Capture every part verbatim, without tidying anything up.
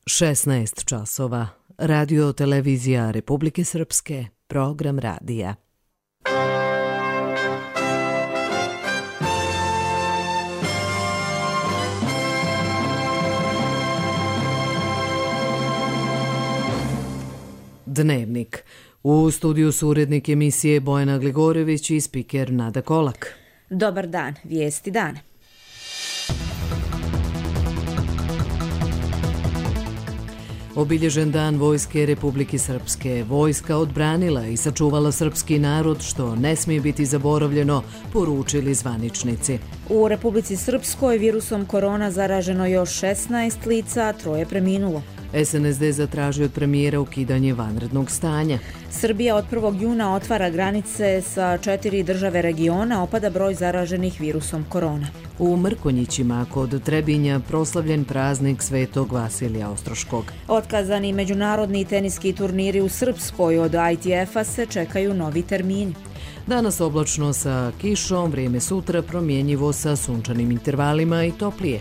šesnaest časova. Radio televizija Republike Srpske, program radija. Dnevnik. U studiju su urednik emisije Bojana Gligorević i spiker Nada Kolak. Dobar dan, vijesti dana. Obilježen dan Vojske Republike Srpske. Vojska odbranila i sačuvala srpski narod, što ne smije biti zaboravljeno, poručili zvaničnici. U Republici Srpskoj virusom korona zaraženo još šesnaest lica, troje preminulo. S N S D zatražio od premijera ukidanje vanrednog stanja. Srbija od prvog juna otvara granice sa četiri države regiona, opada broj zaraženih virusom korona. U Mrkonjićima kod Trebinja proslavljen praznik Svetog Vasilija Ostroškog. Otkazani međunarodni teniski turniri u Srpskoj od I T F-a se čekaju novi termini. Danas oblačno sa kišom, vrijeme sutra promjenjivo sa sunčanim intervalima i toplije.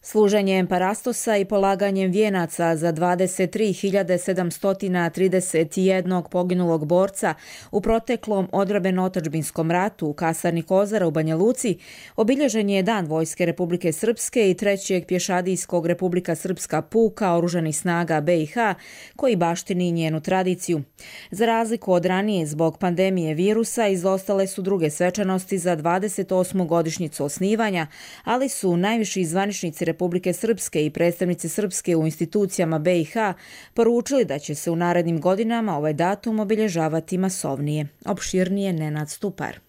Služenjem parastosa i polaganjem vijenaca za dvadeset tri hiljade sedamsto trideset jedan poginulog borca u proteklom odbrambeno-otadžbinskom ratu u kasarni Kozara u Banja Luci obilježen je Dan Vojske Republike Srpske i trećeg pješadijskog Republika Srpska puka oružanih snaga B i H koji baštini njenu tradiciju. Za razliku od ranije, zbog pandemije virusa izostale su druge svečanosti za dvadeset osmu godišnjicu osnivanja, ali su najviši zvaničnici Republike Srpske i predstavnici Srpske u institucijama B i H poručili da će se u narednim godinama ovaj datum obilježavati masovnije. Opširnije Nenad Stupar.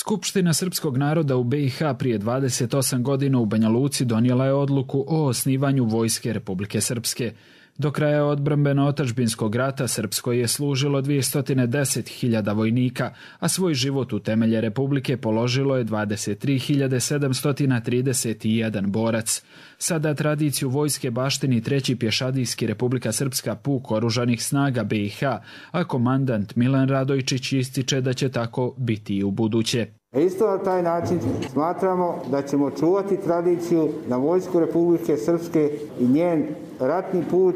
Skupština srpskog naroda u B i H prije dvadeset osam godina u Banja Luci donijela je odluku o osnivanju Vojske Republike Srpske. Do kraja odbrambeno-otadžbinskog rata Srpskoj je služilo dvjesto deset hiljada vojnika, a svoj život u temelje Republike položilo je dvadeset tri hiljade sedamsto trideset jedan borac. Sada tradiciju vojske baštini treći pješadijski Republika Srpska puk oružanih snaga B i H, a komandant Milan Radojčić ističe da će tako biti i u buduće. Isto na taj način smatramo da ćemo čuvati tradiciju na Vojsku Republike Srpske i njen ratni put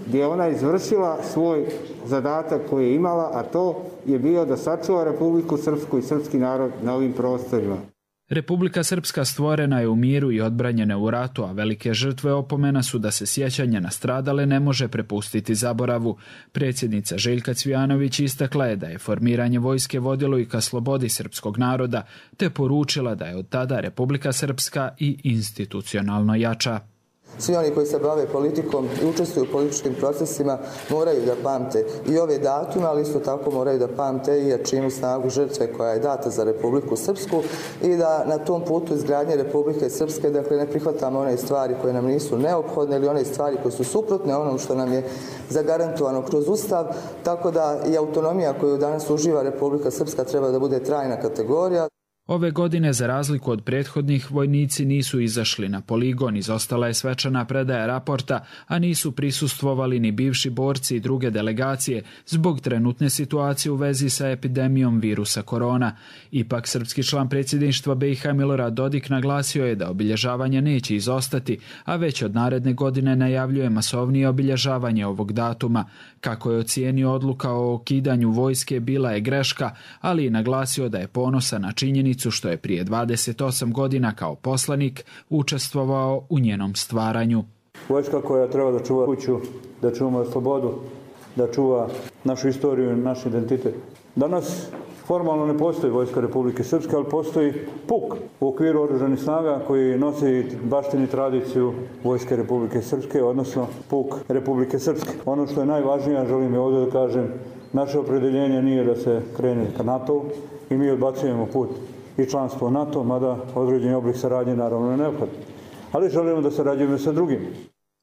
gdje je ona izvršila svoj zadatak koji je imala, a to je bio da sačuva Republiku Srpsku i srpski narod na ovim prostorima. Republika Srpska stvorena je u miru i odbranjena u ratu, a velike žrtve opomena su da se sjećanje na stradale ne može prepustiti zaboravu. Predsjednica Željka Cvijanović istakla je da je formiranje vojske vodilo i ka slobodi srpskog naroda, te poručila da je od tada Republika Srpska i institucionalno jača. Svi oni koji se bave politikom i učestvuju u političkim procesima moraju da pamte i ove datume, ali isto tako moraju da pamte i jačinu snagu žrtve koja je data za Republiku Srpsku i da na tom putu izgradnje Republike Srpske dakle, ne prihvatamo one stvari koje nam nisu neophodne ili one stvari koje su suprotne onom što nam je zagarantovano kroz Ustav, tako da i autonomija koju danas uživa Republika Srpska treba da bude trajna kategorija. Ove godine, za razliku od prethodnih, vojnici nisu izašli na poligon, izostala je svečana predaja raporta, a nisu prisustvovali ni bivši borci i druge delegacije zbog trenutne situacije u vezi sa epidemijom virusa korona. Ipak, srpski član predsjedništva B i H Milorad Dodik naglasio je da obilježavanje neće izostati, a već od naredne godine najavljuje masovnije obilježavanje ovog datuma. Kako je ocijenio, odluka o ukidanju vojske bila je greška, ali i naglasio da je ponosan na činjenicu što je prije dvadeset osam godina kao poslanik učestvovao u njenom stvaranju. Vojska koja treba da čuva kuću, da čuva slobodu, da čuva našu istoriju i naš identitet. Danas formalno ne postoji Vojska Republike Srpske, ali postoji puk u okviru oružanih snaga koji nosi baštini tradiciju Vojske Republike Srpske, odnosno puk Republike Srpske. Ono što je najvažnije, želim je ovdje da kažem, naše opredeljenje nije da se krene ka NATO-u i mi odbacujemo put i članstvo NATO, mada određeni oblik saradnje naravno je neophodan. Ali želimo da sarađujemo sa drugim.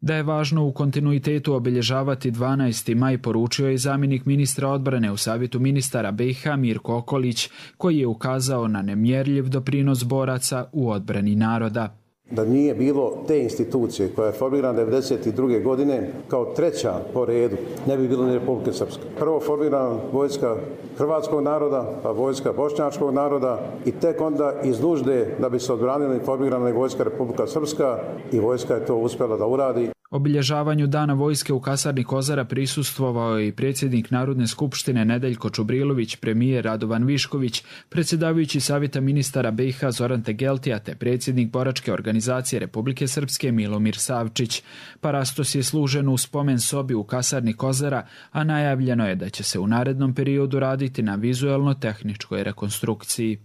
Da je važno u kontinuitetu obilježavati dvanaesti maj poručio je zamjenik ministra odbrane u Savjetu ministara B i H Mirko Okolić, koji je ukazao na nemjerljiv doprinos boraca u odbrani naroda. Da nije bilo te institucije koja je formirana devedeset druge godine kao treća po redu, ne bi bilo ni Republike Srpske. Prvo formirana vojska hrvatskog naroda, pa vojska bošnjačkog naroda i tek onda iz nužde da bi se odbranili formirana i vojska Republika Srpska i vojska je to uspjela da uradi. Obilježavanju Dana vojske u kasarni Kozara prisustvovao je i predsjednik Narodne skupštine Nedeljko Čubrilović, premijer Radovan Višković, predsjedavajući Savjeta ministara B i H Zoran Tegeltija te predsjednik Boračke organizacije Republike Srpske Milomir Savčić. Parastos je služen u spomen sobi u kasarni Kozara, a najavljeno je da će se u narednom periodu raditi na vizuelno-tehničkoj rekonstrukciji.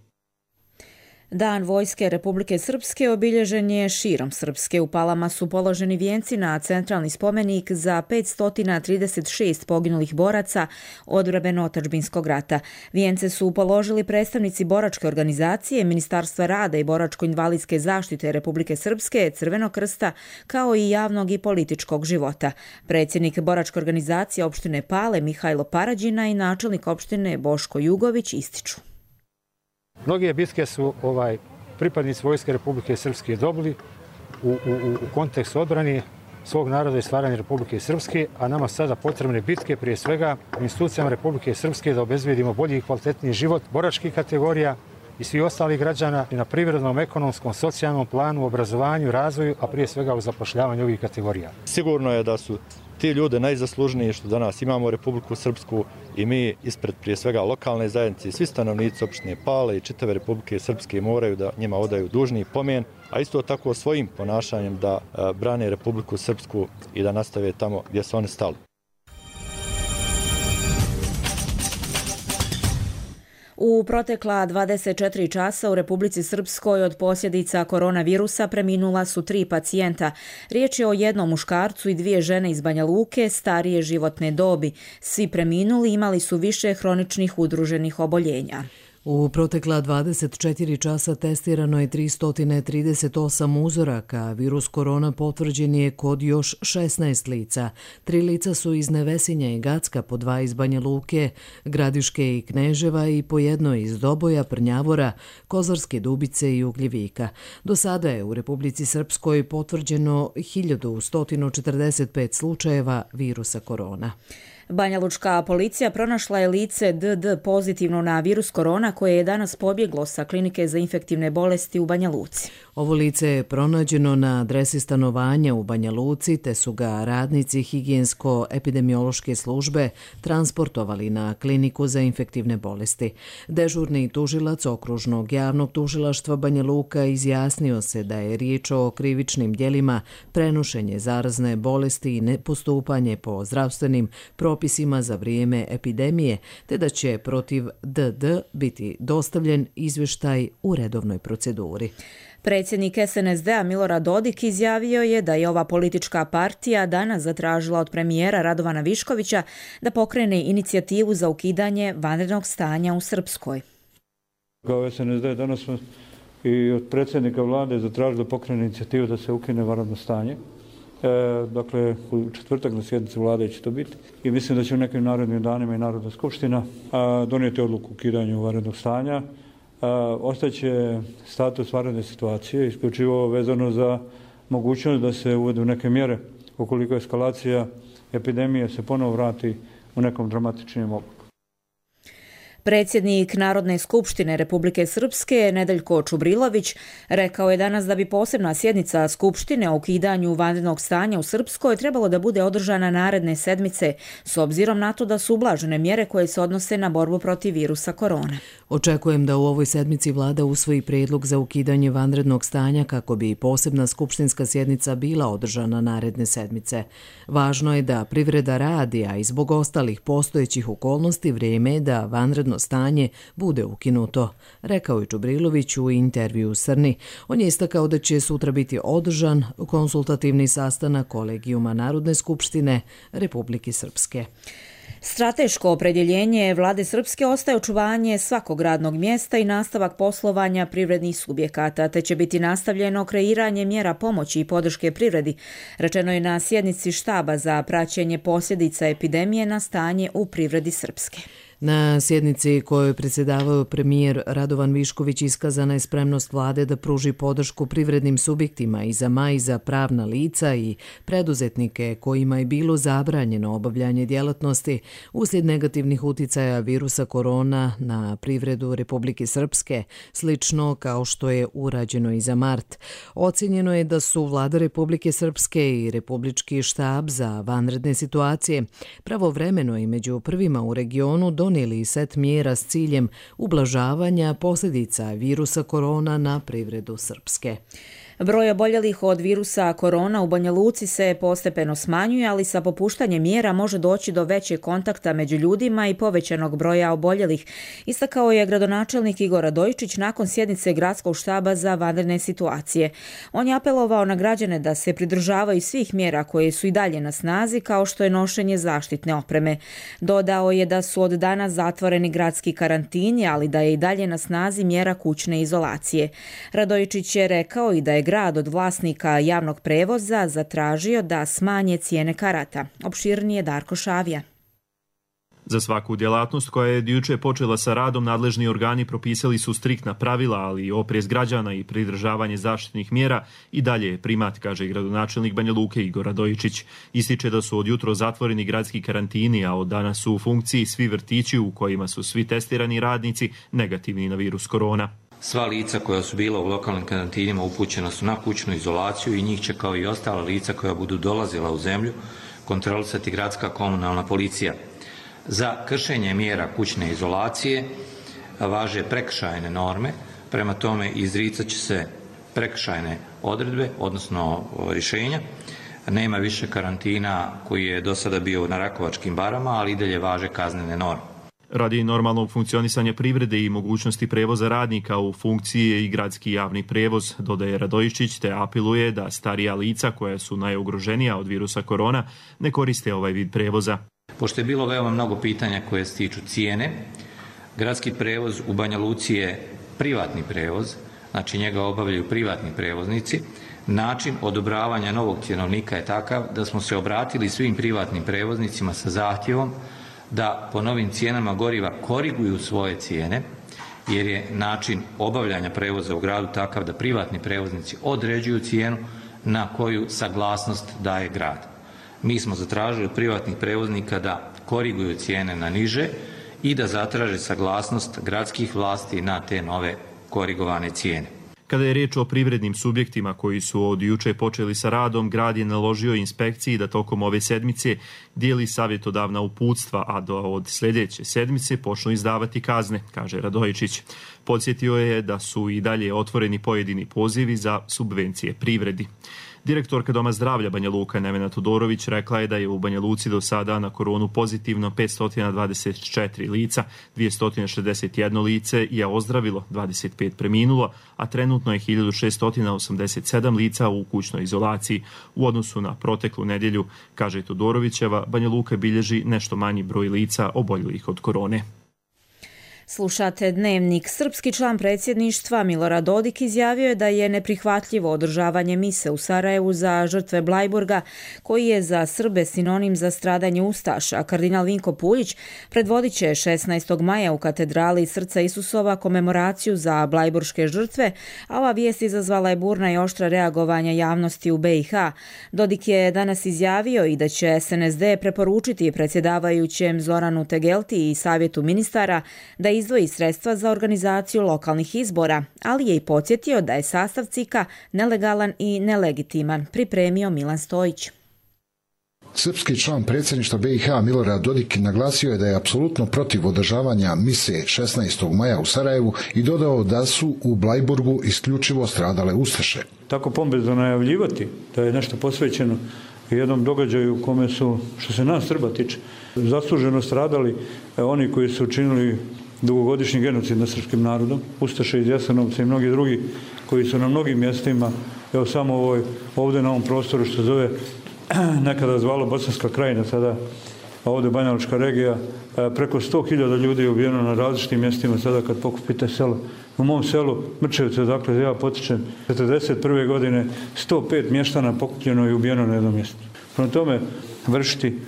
Dan vojske Republike Srpske obilježen je širom Srpske. U Palama su položeni vijenci na centralni spomenik za petsto trideset šest poginulih boraca odbrambeno-otadžbinskog rata. Vijence su položili predstavnici Boračke organizacije, Ministarstva rada i boračko-invalidske zaštite Republike Srpske, Crvenog krsta, kao i javnog i političkog života. Predsjednik Boračke organizacije opštine Pale Mihajlo Parađina i načelnik opštine Boško Jugović ističu. Mnoge bitke su ovaj, pripadnici Vojske Republike Srpske dobili u, u, u kontekstu odbrani svog naroda i stvaranja Republike Srpske, a nama sada potrebne bitke prije svega institucijama Republike Srpske da obezbedimo bolji i kvalitetniji život boračkih kategorija i svi ostalih građana i na privrednom, ekonomskom, socijalnom planu, obrazovanju, razvoju, a prije svega u zapošljavanju ovih kategorija. Sigurno je da su ti ljude najzaslužniji što danas imamo Republiku Srpsku i mi ispred prije svega lokalne zajednice i svi stanovnici opštine Pale i čitave Republike Srpske moraju da njima odaju dužni pomen, a isto tako svojim ponašanjem da brane Republiku Srpsku i da nastave tamo gdje su oni stali. U protekla dvadeset četiri časa u Republici Srpskoj od posljedica koronavirusa preminula su tri pacijenta. Riječ je o jednom muškarcu i dvije žene iz Banja Luke starije životne dobi. Svi preminuli imali su više hroničnih udruženih oboljenja. U protekla dvadeset četiri časa testirano je tristo trideset osam uzoraka. Virus korona potvrđen je kod još šesnaest lica. Tri lica su iz Nevesinja i Gacka, po dva iz Banja Luke, Gradiške i Kneževa i po jedno iz Doboja, Prnjavora, Kozarske Dubice i Ugljevika. Do sada je u Republici Srpskoj potvrđeno hiljadu sto četrdeset pet slučajeva virusa korona. Banjalučka policija pronašla je lice D D pozitivno na virus korona koje je danas pobjeglo sa klinike za infektivne bolesti u Banja Luci. Ovo lice je pronađeno na adresi stanovanja u Banja Luci, te su ga radnici higijensko-epidemiološke službe transportovali na kliniku za infektivne bolesti. Dežurni tužilac okružnog javnog tužilaštva Banja Luka izjasnio se da je riječ o krivičnim djelima prenošenje zarazne bolesti i nepostupanje po zdravstvenim propisima za vrijeme epidemije, te da će protiv D D biti dostavljen izvještaj u redovnoj proceduri. Predsjednik S N S D-a Milorad Dodik izjavio je da je ova politička partija danas zatražila od premijera Radovana Viškovića da pokrene inicijativu za ukidanje vanrednog stanja u Srpskoj. Kao S N S D danas smo i od predsjednika vlade zatražili da pokrene inicijativu da se ukine vanredno stanje. E, dakle, u četvrtak na sjednici vlade će to biti i mislim da će u nekim narednim danima i Narodna skupština a, donijeti odluku o ukidanju vanrednog stanja. Ostaće status vanredne situacije, isključivo vezano za mogućnost da se uvedu neke mjere ukoliko eskalacija epidemije se ponovo vrati u nekom dramatičnijem obliku. Predsjednik Narodne skupštine Republike Srpske Nedeljko Čubrilović rekao je danas da bi posebna sjednica Skupštine o ukidanju vanrednog stanja u Srpskoj trebalo da bude održana naredne sedmice, s obzirom na to da su ublažene mjere koje se odnose na borbu protiv virusa korona. Očekujem da u ovoj sedmici vlada usvoji prijedlog za ukidanje vanrednog stanja kako bi posebna skupštinska sjednica bila održana naredne sedmice. Važno je da privreda radi, a i zbog ostalih postojećih okolnosti vrijeme je da vanredno stanje bude ukinuto, rekao je Čubrilović u intervju Srni. On je istakao da će sutra biti održan konsultativni sastanak Kolegijuma Narodne skupštine Republike Srpske. Strateško opredjeljenje vlade Srpske ostaje očuvanje svakog radnog mjesta i nastavak poslovanja privrednih subjekata, te će biti nastavljeno kreiranje mjera pomoći i podrške privredi, rečeno je na sjednici štaba za praćenje posljedica epidemije na stanje u privredi Srpske. Na sjednici kojoj predsjedavao premijer Radovan Višković iskazana je spremnost vlade da pruži podršku privrednim subjektima i za maj za pravna lica i preduzetnike kojima je bilo zabranjeno obavljanje djelatnosti uslijed negativnih uticaja virusa korona na privredu Republike Srpske, slično kao što je urađeno i za mart. Ocjenjeno je da su vlada Republike Srpske i Republički štab za vanredne situacije pravovremeno i među prvima u regionu donijeli set mjera s ciljem ublažavanja posljedica virusa korona na privredu Srpske. Broj oboljelih od virusa korona u Banja Luci se postepeno smanjuje, ali sa popuštanjem mjera može doći do većeg kontakta među ljudima i povećanog broja oboljelih, istakao je gradonačelnik Igor Radojičić nakon sjednice gradskog štaba za vanredne situacije. On je apelovao na građane da se pridržavaju svih mjera koje su i dalje na snazi, kao što je nošenje zaštitne opreme. Dodao je da su od danas zatvoreni gradski karantini, ali da je i dalje na snazi mjera kućne izolacije. Radojičić je rekao i da je grad od vlasnika javnog prevoza zatražio da smanje cijene karata. Opširnije Darko Šavija. Za svaku djelatnost koja je juče počela sa radom, nadležni organi propisali su striktna pravila, ali i oprez građana i pridržavanje zaštitnih mjera i dalje je primat, kaže gradonačelnik Banja Luke Igor Radojičić. Ističe da su od jutro zatvoreni gradski karantini, a od danas su u funkciji svi vrtići u kojima su svi testirani radnici negativni na virus korona. Sva lica koja su bila u lokalnim karantinima upućena su na kućnu izolaciju i njih će, kao i ostala lica koja budu dolazila u zemlju, kontrolisati gradska komunalna policija. Za kršenje mjera kućne izolacije važe prekršajne norme, prema tome izricat će se prekršajne odredbe, odnosno rješenja. Nema više karantina koji je do sada bio na Rakovačkim barama, ali i dalje važe kaznene norme. Radi normalnog funkcionisanja privrede i mogućnosti prevoza radnika u funkciji je i gradski javni prevoz, dodaje Radojičić, te apeluje da starija lica koja su najugroženija od virusa korona ne koriste ovaj vid prevoza. Pošto je bilo veoma mnogo pitanja koje se tiču cijene, gradski prevoz u Banja Luci je privatni prevoz, znači njega obavljaju privatni prevoznici. Način odobravanja novog cjenovnika je takav da smo se obratili svim privatnim prevoznicima sa zahtjevom da po novim cijenama goriva koriguju svoje cijene, jer je način obavljanja prevoza u gradu takav da privatni prevoznici određuju cijenu na koju saglasnost daje grad. Mi smo zatražili od privatnih prevoznika da koriguju cijene na niže i da zatraže saglasnost gradskih vlasti na te nove korigovane cijene. Kada je riječ o privrednim subjektima koji su od juče počeli sa radom, grad je naložio inspekciji da tokom ove sedmice dijeli savjetodavna uputstva, a do od sljedeće sedmice počnu izdavati kazne, kaže Radojičić. Podsjetio je da su i dalje otvoreni pojedini pozivi za subvencije privredi. Direktorka Doma zdravlja Banja Luka Nevena Todorović rekla je da je u Banja Luci do sada na koronu pozitivno petsto dvadeset četiri lica, dvjesto šezdeset jedno lice je ozdravilo, dvadeset pet preminulo, a trenutno je hiljadu šesto osamdeset sedam lica u kućnoj izolaciji. U odnosu na proteklu nedjelju, kaže Todorovićeva, Banja Luka bilježi nešto manji broj lica oboljelih od korone. Slušate Dnevnik. Srpski član predsjedništva Milorad Dodik izjavio je da je neprihvatljivo održavanje mise u Sarajevu za žrtve Blajburga, koji je za Srbe sinonim za stradanje ustaša. Kardinal Vinko Puljić predvodit će šesnaestog maja u katedrali Srca Isusova komemoraciju za blajburške žrtve, a ova vijest izazvala je burna i oštra reagovanja javnosti u be i ha. Dodik je danas izjavio i da će es en es de preporučiti predsjedavajućem Zoranu Tegelti i savjetu ministara da izdvoji sredstva za organizaciju lokalnih izbora, ali je i podsjetio da je sastav C I K-a nelegalan i nelegitiman, pripremio Milan Stojić. Srpski član predsjedništva be i ha Milorad Dodik naglasio je da je apsolutno protiv održavanja mise šesnaestog maja u Sarajevu i dodao da su u Blajburgu isključivo stradale ustaše. Tako pompezno najavljivati da je nešto posvećeno jednom događaju u kome su, što se nas Srba tiče, zasluženo stradali oni koji su učinili dugogodišnji genocid nad srpskim narodom, ustaše iz Jasenovca i mnogi drugi koji su na mnogim mjestima, evo samo ovoj, ovdje na ovom prostoru što zove nekada zvalo Bosanska krajina, sada ovdje Banjalučka regija, preko sto hiljada ljudi je ubijeno na različitim mjestima, sada kad pokupite selo. U mom selu Mrčevce, dakle ja potičem, četrdeset prve godine sto pet mještana pokupljeno i ubijeno na jednom mjestu. Prema tome, vršiti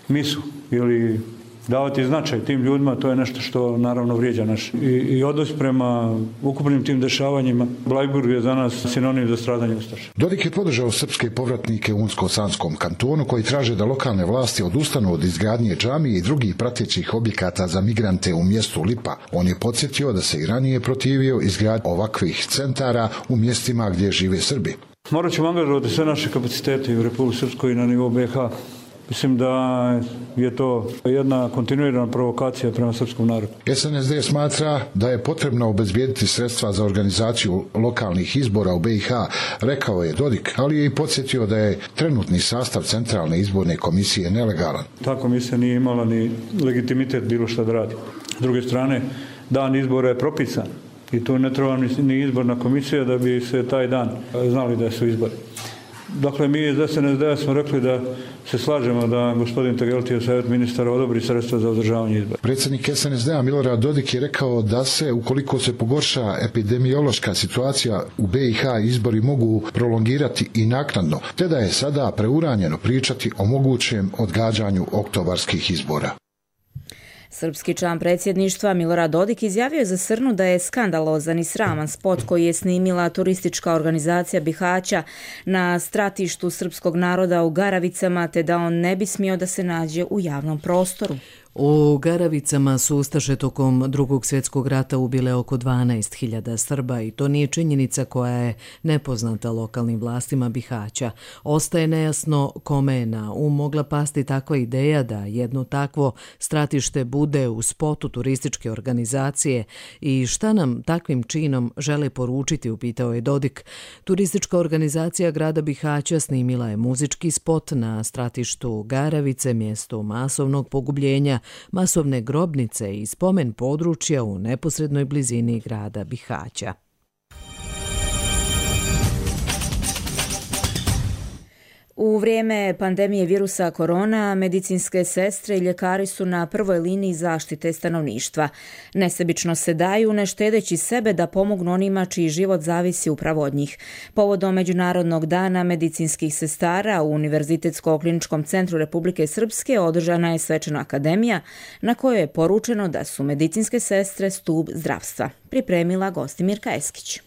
misu ili davati značaj tim ljudima, to je nešto što naravno vrijeđa naš. I, i odnos prema ukupnim tim dešavanjima. Blajburg je za nas sinonim za stradanje ustaša. Dodik je podržao srpske povratnike u Unsko-Sanskom kantonu koji traže da lokalne vlasti odustanu od izgradnje džamije i drugih pratećih objekata za migrante u mjestu Lipa. On je podsjetio da se i ranije protivio izgradnji ovakvih centara u mjestima gdje žive Srbi. Morat ćemo angažovati sve naše kapacitete u Republici Srpskoj i na nivou B iH. Mislim da je to jedna kontinuirana provokacija prema srpskom narodu. S N S D smatra da je potrebno obezbijediti sredstva za organizaciju lokalnih izbora u B iH, rekao je Dodik, ali je i podsjetio da je trenutni sastav Centralne izborne komisije nelegalan. Ta komisija nije imala ni legitimitet bilo šta da radi. S druge strane, dan izbora je propisan i tu ne treba ni izborna komisija da bi se taj dan znali da su izbori. Dakle, mi iz S N S D smo rekli da se slažemo da gospodin Tegeltija, savjet ministara, odobri sredstva za održavanje izbora. Predsjednik S N S D-a Milorad Dodik je rekao da se, ukoliko se pogorša epidemiološka situacija u B iH, izbori mogu prolongirati i naknadno, te da je sada preuranjeno pričati o mogućem odgađanju oktobarskih izbora. Srpski član predsjedništva Milorad Dodik izjavio je za Srnu da je skandalozan i sraman spot koji je snimila turistička organizacija Bihaća na stratištu srpskog naroda u Garavicama, te da on ne bi smio da se nađe u javnom prostoru. U Garavicama su ustaše tokom Drugog svjetskog rata ubile oko dvanaest hiljada Srba i to nije činjenica koja je nepoznata lokalnim vlastima Bihaća. Ostaje nejasno kome je na um mogla pasti takva ideja da jedno takvo stratište bude u spotu turističke organizacije i šta nam takvim činom žele poručiti, upitao je Dodik. Turistička organizacija grada Bihaća snimila je muzički spot na stratištu Garavice, mjesto masovnog pogubljenja, masovne grobnice i spomen područja u neposrednoj blizini grada Bihaća. U vrijeme pandemije virusa korona, medicinske sestre i ljekari su na prvoj liniji zaštite stanovništva. Nesebično se daju, ne štedeći sebe da pomognu onima čiji život zavisi upravo od njih. Povodom Međunarodnog dana medicinskih sestara u Univerzitetsko-kliničkom centru Republike Srpske održana je svečana akademija na kojoj je poručeno da su medicinske sestre stup zdravstva. Pripremila Gostimirka Eskić.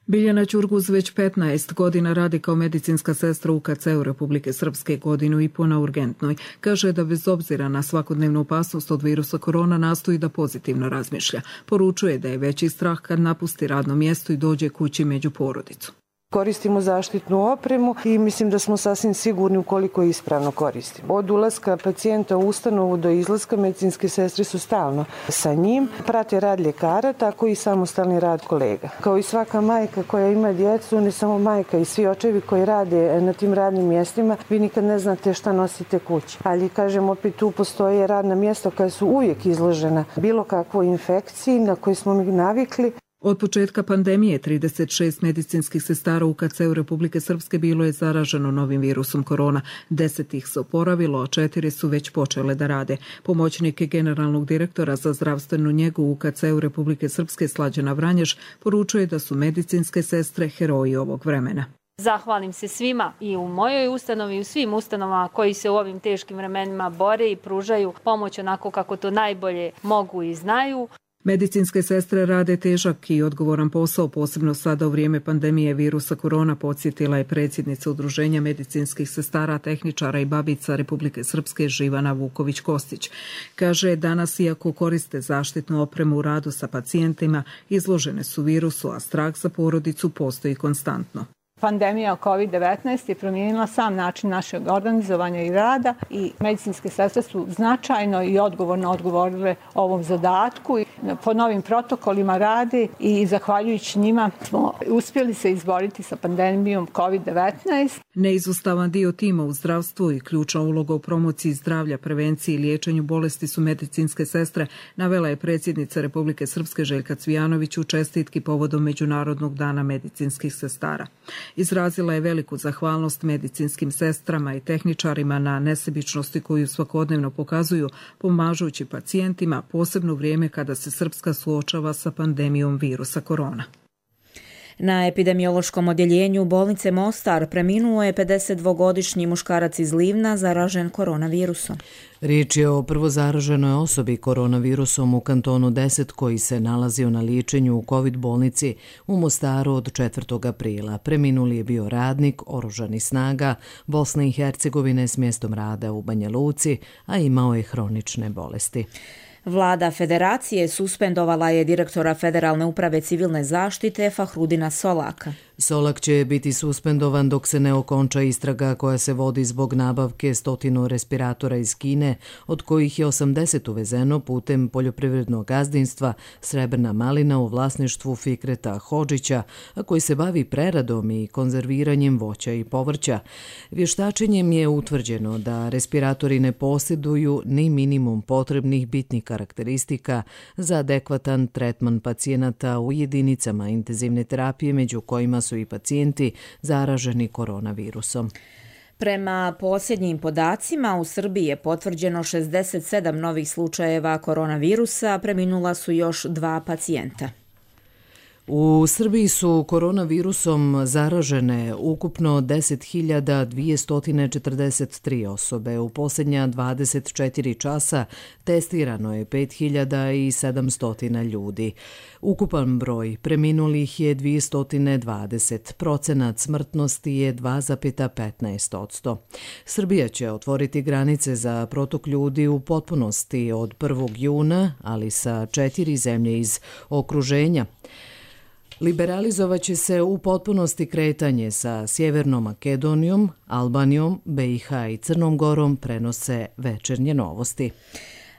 Biljana Ćurguz već petnaest godina radi kao medicinska sestra u K C-u Republike Srpske, godinu i po na urgentnoj. Kaže da bez obzira na svakodnevnu opasnost od virusa korona nastoji da pozitivno razmišlja. Poručuje da je veći strah kad napusti radno mjesto i dođe kući među porodicu. Koristimo zaštitnu opremu i mislim da smo sasvim sigurni ukoliko je ispravno koristimo. Od ulaska pacijenta u ustanovu do izlaska medicinske sestre su stalno sa njim. Prate rad ljekara, tako i samostalni rad kolega. Kao i svaka majka koja ima djecu, ne samo majka, i svi očevi koji rade na tim radnim mjestima, vi nikad ne znate šta nosite kući. Ali, kažem, opet tu postoje radna mjesta koja su uvijek izložena bilo kakvoj infekciji na koju smo mi navikli. Od početka pandemije trideset šest medicinskih sestara u K C-u Republike Srpske bilo je zaraženo novim virusom korona. Deset ih se oporavilo, a četiri su već počele da rade. Pomoćnik generalnog direktora za zdravstvenu njegu u K C-u Republike Srpske Slađana Vranješ poručuje da su medicinske sestre heroji ovog vremena. Zahvalim se svima i u mojoj ustanovi i u svim ustanovama koji se u ovim teškim vremenima bore i pružaju pomoć onako kako to najbolje mogu i znaju. Medicinske sestre rade težak i odgovoran posao, posebno sada u vrijeme pandemije virusa korona, podsjetila je predsjednica Udruženja medicinskih sestara, tehničara i babica Republike Srpske Živana Vuković-Kostić. Kaže, danas iako koriste zaštitnu opremu u radu sa pacijentima, izložene su virusu, a strah za porodicu postoji konstantno. Pandemija kovid devetnaest je promijenila sam način našeg organizovanja i rada i medicinske sestre su značajno i odgovorno odgovorile ovom zadatku. Po novim protokolima rade i zahvaljujući njima smo uspjeli se izboriti sa pandemijom kovid devetnaest. Neizostavan dio tima u zdravstvu i ključna uloga u promociji zdravlja, prevenciji i liječenju bolesti su medicinske sestre, navela je predsjednica Republike Srpske Željka Cvijanović u čestitki povodom Međunarodnog dana medicinskih sestara. Izrazila je veliku zahvalnost medicinskim sestrama i tehničarima na nesebičnosti koju svakodnevno pokazuju, pomažući pacijentima, posebno u vrijeme kada se Srpska suočava sa pandemijom virusa korona. Na epidemiološkom odjeljenju bolnice Mostar preminuo je pedesetdvogodišnji muškarac iz Livna zaražen koronavirusom. Riječ je o prvozaraženoj osobi koronavirusom u kantonu deset koji se nalazio na liječenju u COVID bolnici u Mostaru od četvrtog aprila. Preminuli je bio radnik oružanih snaga Bosne i Hercegovine s mjestom rada u Banja Luci, a imao je hronične bolesti. Vlada Federacije suspendovala je direktora Federalne uprave civilne zaštite Fahrudina Solaka. Solak će biti suspendovan dok se ne okonča istraga koja se vodi zbog nabavke stotinu respiratora iz Kine, od kojih je osamdeset uvezeno putem poljoprivrednog gazdinstva Srebrna malina u vlasništvu Fikreta Hodžića, a koji se bavi preradom i konzerviranjem voća i povrća. Vještačenjem je utvrđeno da respiratori ne posjeduju ni minimum potrebnih bitnih karakteristika za adekvatan tretman pacijenata u jedinicama intenzivne terapije, među kojima su i pacijenti zaraženi koronavirusom. Prema posljednjim podacima, u Srbiji je potvrđeno šezdeset sedam novih slučajeva koronavirusa, preminula su još dva pacijenta. U Srbiji su koronavirusom zaražene ukupno deset hiljada dvjesto četrdeset tri osobe. U posljednja dvadeset četiri časa testirano je pet hiljada sedamsto ljudi. Ukupan broj preminulih je dvjesto dvadeset. Procenat smrtnosti je dva zarez petnaest posto. Srbija će otvoriti granice za protok ljudi u potpunosti od prvog juna, ali sa četiri zemlje iz okruženja. Liberalizovat će se u potpunosti kretanje sa Sjevernom Makedonijom, Albanijom, B i H i Crnom Gorom, prenose Večernje novosti.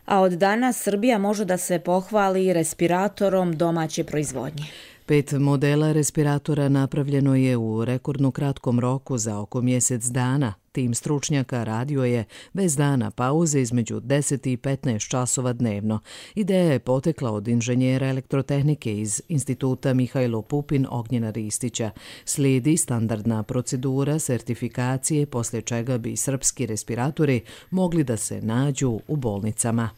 A od danas Srbija može da se pohvali respiratorom domaće proizvodnje. Pet modela respiratora napravljeno je u rekordno kratkom roku za oko mjesec dana. Tim stručnjaka radio je bez dana pauze između deset i petnaest časova dnevno. Ideja je potekla od inženjera elektrotehnike iz Instituta Mihajlo Pupin Ognjena Ristića. Slijedi standardna procedura sertifikacije, poslije čega bi srpski respiratori mogli da se nađu u bolnicama.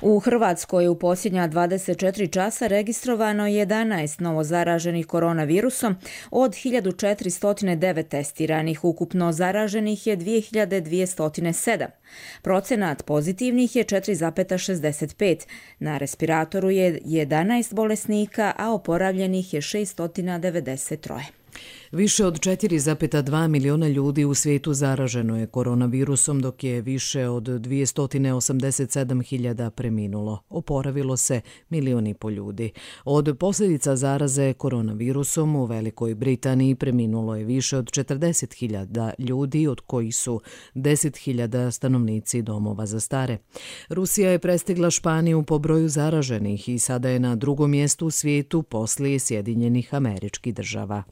U Hrvatskoj u posljednja dvadeset četiri časa registrovano jedanaest novozaraženih koronavirusom od hiljadu četiristo devet testiranih. Ukupno zaraženih je dvije hiljade dvjesto sedam. Procenat pozitivnih je četiri zarez šezdeset pet. Na respiratoru je jedanaest bolesnika, a oporavljenih je šesto devedeset tri. Više od četiri zarez dva miliona ljudi u svijetu zaraženo je koronavirusom, dok je više od dvjesto osamdeset sedam hiljada preminulo. Oporavilo se milion i po ljudi. Od posljedica zaraze koronavirusom u Velikoj Britaniji preminulo je više od četrdeset hiljada ljudi, od kojih su deset hiljada stanovnici domova za stare. Rusija je prestigla Španiju po broju zaraženih i sada je na drugom mjestu u svijetu poslije Sjedinjenih Američkih Država.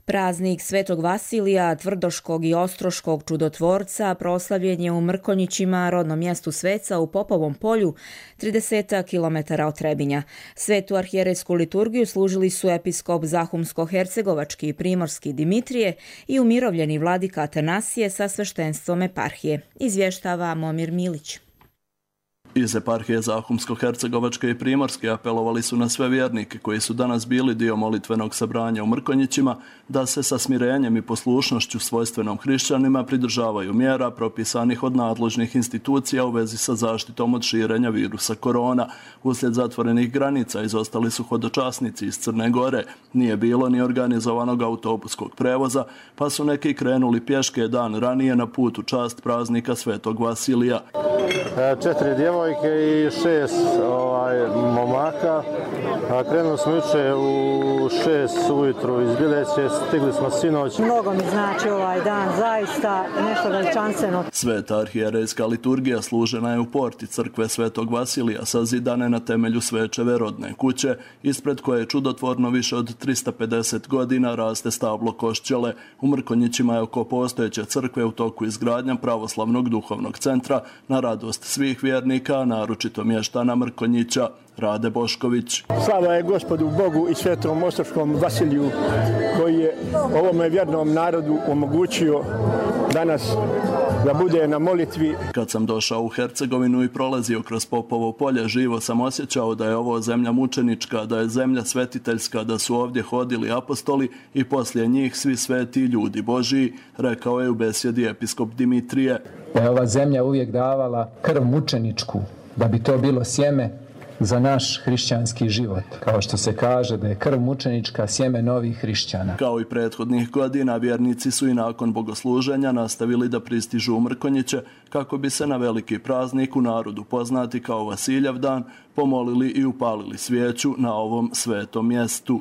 Praznik Svetog Vasilija, Tvrdoškog i Ostroškog čudotvorca proslavljen je u Mrkonjićima, rodnom mjestu Sveca u Popovom polju, trideset kilometara od Trebinja. Svetu arhijerejsku liturgiju služili su episkop Zahumsko-hercegovački i primorski Dimitrije i umirovljeni vladika Atanasije sa sveštenstvom eparhije. Izvještava Momir Milić. Iz eparhije Zahumsko-hercegovačke i primorske apelovali su na sve vjernike koji su danas bili dio molitvenog sabranja u Mrkonjićima da se sa smirenjem i poslušnošću svojstvenom hrišćanima pridržavaju mjera propisanih od nadležnih institucija u vezi sa zaštitom od širenja virusa korona. Uslijed zatvorenih granica izostali su hodočasnici iz Crne Gore, nije bilo ni organizovanog autobuskog prevoza, pa su neki krenuli pješke dan ranije na put u čast praznika Svetog Vasilija. Četiri djevojke i šest ovaj, momaka. Krenuli smo juče u šest ujutru iz Bileće, stigli smo sinoć. Mnogo mi znači ovaj dan, zaista nešto veličanstveno. Sveta arhijerejska liturgija služena je u porti crkve Svetog Vasilija, sazidane na temelju Svečeve rodne kuće, ispred koje čudotvorno više od tristo pedeset godina raste stablo košćele. U Mrkonjićima je oko postojeće crkve u toku izgradnja pravoslavnog duhovnog centra na radost svih vjernika, naročito mještana Mrkonjića. Rade Bošković. Slava je Gospodu Bogu i Svetom Ostroškom Vasiliju koji je ovome vjernom narodu omogućio danas da bude na molitvi. Kad sam došao u Hercegovinu i prolazio kroz Popovo polje, živo sam osjećao da je ovo zemlja mučenička, da je zemlja svetiteljska, da su ovdje hodili apostoli i poslije njih svi sveti ljudi Božiji, rekao je u besjedi episkop Dimitrije. Da je ova zemlja uvijek davala krv mučeničku, da bi to bilo sjeme za naš hrišćanski život. Kao što se kaže da je krv mučenička sjeme novih hrišćana. Kao i prethodnih godina, vjernici su i nakon bogosluženja nastavili da pristižu u Mrkonjiće kako bi se na veliki praznik u narodu poznati kao Vasiljev dan pomolili i upalili svijeću na ovom svetom mjestu.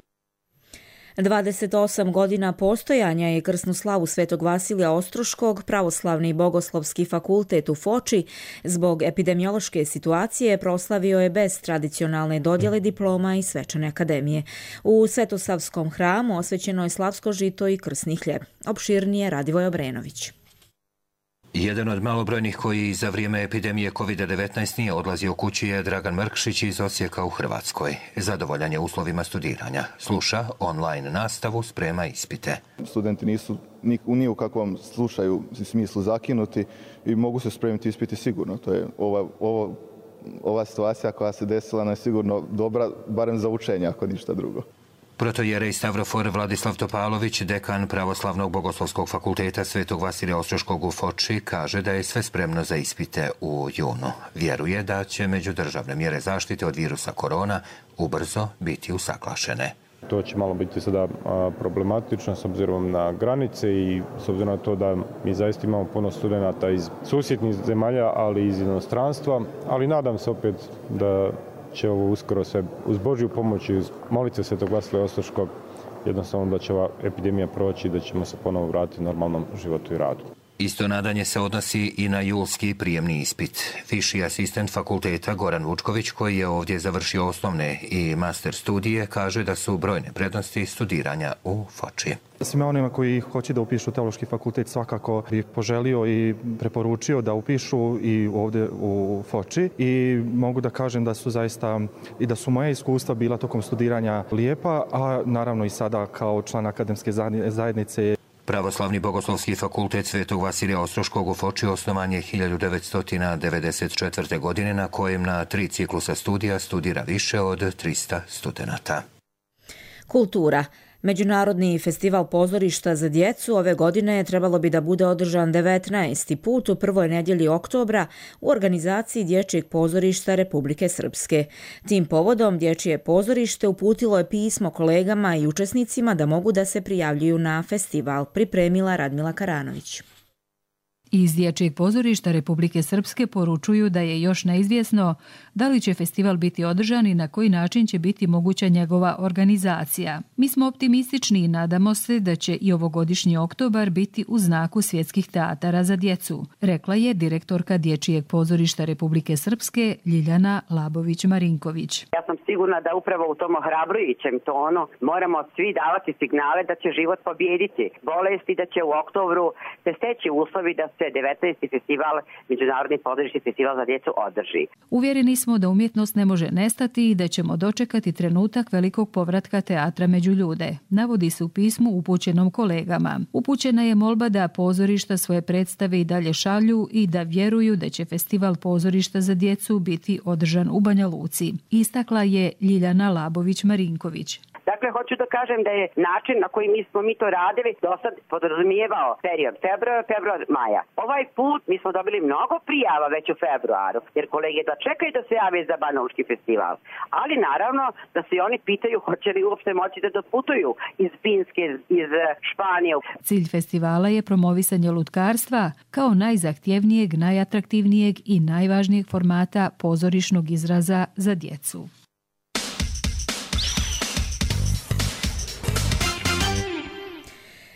dvadeset osam godina postojanja je krsnu slavu Svetog Vasilija Ostroškog Pravoslavni bogoslovski fakultet u Foči zbog epidemiološke situacije proslavio je bez tradicionalne dodjele diploma i svečane akademije. U Svetosavskom hramu osvećeno je slavsko žito i krsni hljeb. Opširnije Radivoj Obrenović. Jedan od malobrojnih koji za vrijeme epidemije kovid devetnaest nije odlazio kući je Dragan Mrkšić iz Osijeka u Hrvatskoj. Zadovoljan je uslovima studiranja. Sluša online nastavu, sprema ispite. Studenti nisu ni u kakvom slušaju smislu zakinuti i mogu se spremiti ispiti sigurno. To je ova, ova, ova situacija koja se desila nam je sigurno dobra, barem za učenje, ako ništa drugo. Protojerej Stavrofor Vladislav Topalović, dekan Pravoslavnog bogoslovskog fakulteta Svetog Vasilija Ostroškog u Foči, kaže da je sve spremno za ispite u junu. Vjeruje da će međudržavne mjere zaštite od virusa korona ubrzo biti usaglašene. To će malo biti sada problematično s obzirom na granice i s obzirom na to da mi zaista imamo puno studenata iz susjednih zemalja, ali i iz inostranstva, ali nadam se opet da će ovo uskoro sve uz Božju pomoć i uz molitve Svetog Vasilija Ostroškog jednostavno da će ova epidemija proći i da ćemo se ponovo vratiti normalnom životu i radu. Isto nadanje se odnosi i na julski prijemni ispit. Viši asistent fakulteta Goran Vučković, koji je ovdje završio osnovne i master studije, kaže da su brojne prednosti studiranja u Foči. Svima onima koji hoće da upišu teološki fakultet svakako bih poželio i preporučio da upišu i ovdje u Foči i mogu da kažem da su zaista i da su moja iskustva bila tokom studiranja lijepa, a naravno i sada kao član akademske zajednice. Pravoslavni bogoslovski fakultet Svetog Vasilija Ostroškog u Foči osnovan je hiljadu devetsto devedeset četvrte. godine, na kojem na tri ciklusa studija studira više od trista studenata. Kultura. Međunarodni festival pozorišta za djecu ove godine trebalo bi da bude održan devetnaesti put u prvoj nedjelji oktobra u organizaciji Dječjeg pozorišta Republike Srpske. Tim povodom Dječje pozorište uputilo je pismo kolegama i učesnicima da mogu da se prijavljuju na festival, pripremila Radmila Karanović. Iz Dječjeg pozorišta Republike Srpske poručuju da je još neizvjesno da li će festival biti održan i na koji način će biti moguća njegova organizacija. Mi smo optimistični i nadamo se da će i ovogodišnji oktobar biti u znaku svjetskih teatara za djecu, rekla je direktorka Dječjeg pozorišta Republike Srpske Ljiljana Labović-Marinković. Ja sam sigurna da upravo u tom ohrabrujućem tonu moramo svi davati signale da će život pobijediti bolesti, da će u oktobru se steći uslovi da se devetnaesti festival, Međunarodni pozorišni festival za djecu održi. Uvjereni smo da umjetnost ne može nestati i da ćemo dočekati trenutak velikog povratka teatra među ljude, navodi se u pismu upućenom kolegama. Upućena je molba da pozorišta svoje predstave i dalje šalju i da vjeruju da će festival pozorišta za djecu biti održan u Banja Luci, istakla je Ljiljana Labović-Marinković. Dakle, hoću da kažem da je način na koji mi smo mi to radili do sad podrazumijevao period februar, februar, maja. Ovaj put mi smo dobili mnogo prijava već u februaru, jer kolege da čekaju da se jave za Banalučki festival. Ali naravno da se oni pitaju hoće li uopšte moći da doputuju iz Finske, iz Španije. Cilj festivala je promovisanje lutkarstva kao najzahtjevnijeg, najatraktivnijeg i najvažnijeg formata pozorišnog izraza za djecu.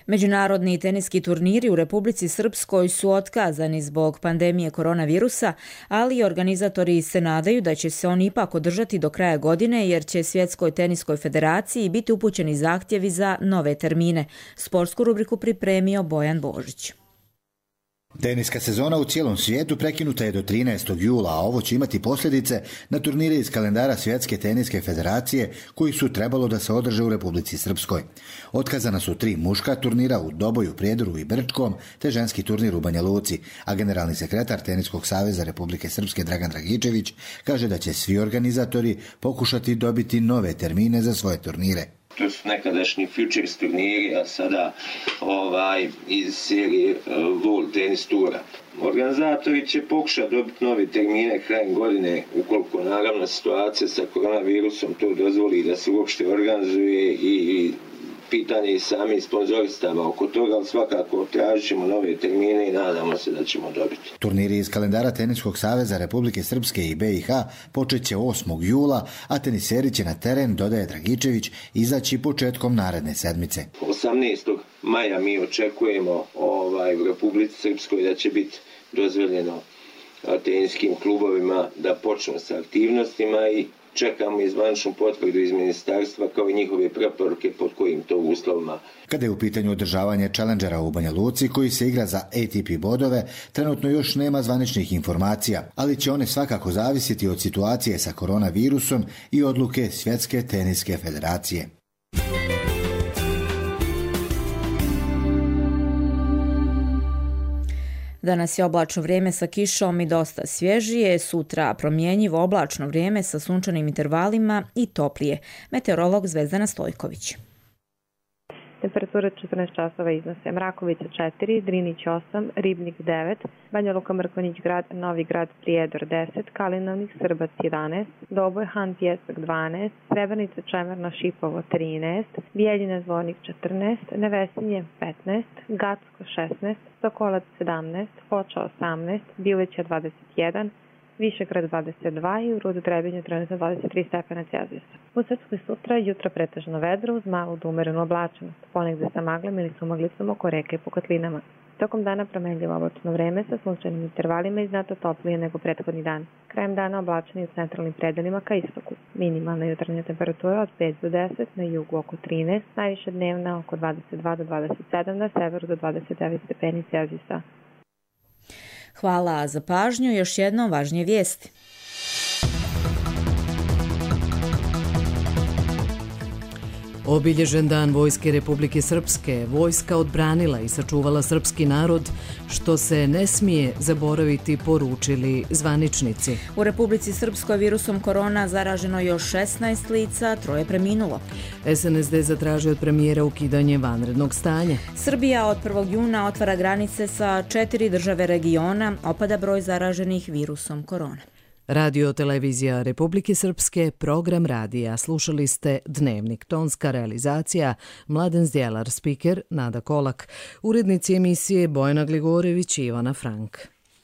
Međunarodni teniski turniri u Republici Srpskoj su otkazani zbog pandemije koronavirusa, ali organizatori se nadaju da će se oni ipak održati do kraja godine jer će Svjetskoj teniskoj federaciji biti upućeni zahtjevi za nove termine. Sportsku rubriku pripremio Bojan Božić. Teniska sezona u cijelom svijetu prekinuta je do trinaestog jula, a ovo će imati posljedice na turnire iz kalendara Svjetske teniske federacije koji su trebalo da se održe u Republici Srpskoj. Otkazana su tri muška turnira u Doboju, Prijedoru i Brčkom, te ženski turnir u Banja Luci, a generalni sekretar Teniskog saveza Republike Srpske Dragan Dragičević kaže da će svi organizatori pokušati dobiti nove termine za svoje turnire. To su nekadašnji futures turniri, a sada ovaj, iz serije uh, World Tennis Tura. Organizatori će pokušati dobiti nove termine krajem godine, ukoliko naravno situacija sa koronavirusom to dozvoli da se uopšte organizuje i, i pitanje i sami sponzoristava oko toga, ali svakako tražit ćemo nove termine i nadamo se da ćemo dobiti. Turniri iz kalendara Teniskog saveza Republike Srpske i B i H počet će osmog jula, a teniseri će na teren, dodaje Dragičević, izaći početkom naredne sedmice. osamnaestog maja mi očekujemo ovaj, u Republici Srpskoj da će biti dozvoljeno teniskim klubovima da počnu sa aktivnostima i čekamo izvaničnu potvrdu iz ministarstva kao i njihove preporuke pod kojim to uslovima. Kada je u pitanju održavanje Challengera u Banja Luci koji se igra za A T P bodove, trenutno još nema zvaničnih informacija, ali će one svakako zavisiti od situacije sa koronavirusom i odluke Svjetske teniske federacije. Danas je oblačno vrijeme sa kišom i dosta svježije, sutra promjenjivo oblačno vrijeme sa sunčanim intervalima i toplije. Meteorolog Zvezdana Stojković. Temperatura četrnaest časova iznose Mrakovica četiri, Drinić osam, Ribnik devet, Banja Luka, Mrkonjić grad, Novi grad, Prijedor deset, Kalinovnik, Srbac jedanaest, Doboj, Han, Pjesak dvanaest, Srebrnica, Čemerna, Šipovo trinaest, Bijeljina, Zvornik četrnaest, Nevesinje petnaest, Gacko šesnaest, Sokolac sedamnaest, Foča osamnaest, Bilića dvadeset jedan, Višegrad dvadeset dva i u Rudu Trebinju trenutno dvadeset tri stepena Celzijusa. U Srpskoj sutra jutro pretežno vedro uz malu do umerenu oblačenost, ponegde sa maglom ili sumaglicom oko reke i po kotlinama. Tokom dana promenljivo oblačno vreme sa sunčanim intervalima i znatno toplije nego prethodni dan. Krajem dana oblačeni u centralnim predelima ka istoku. Minimalna jutarnja temperatura od pet do deset, na jugu oko trinaest, najviše dnevna oko dvadeset dva do dvadeset sedam, na severu do dvadeset devet stepeni Celzijusa. Hvala za pažnju. Još jednom važnije vijesti. Obilježen dan Vojske Republike Srpske, vojska odbranila i sačuvala srpski narod, što se ne smije zaboraviti, poručili zvaničnici. U Republici Srpskoj virusom korona zaraženo još šesnaest lica, troje preminulo. S N S D zatražio od premijera ukidanje vanrednog stanja. Srbija od prvog juna otvara granice sa četiri države regiona, opada broj zaraženih virusom korona. Radio televizija Republike Srpske, program radija. Slušali ste Dnevnik, tonska realizacija Mladen Zdjelar, spiker Nada Kolak, urednici emisije Bojana Gligorević i Ivana Frank.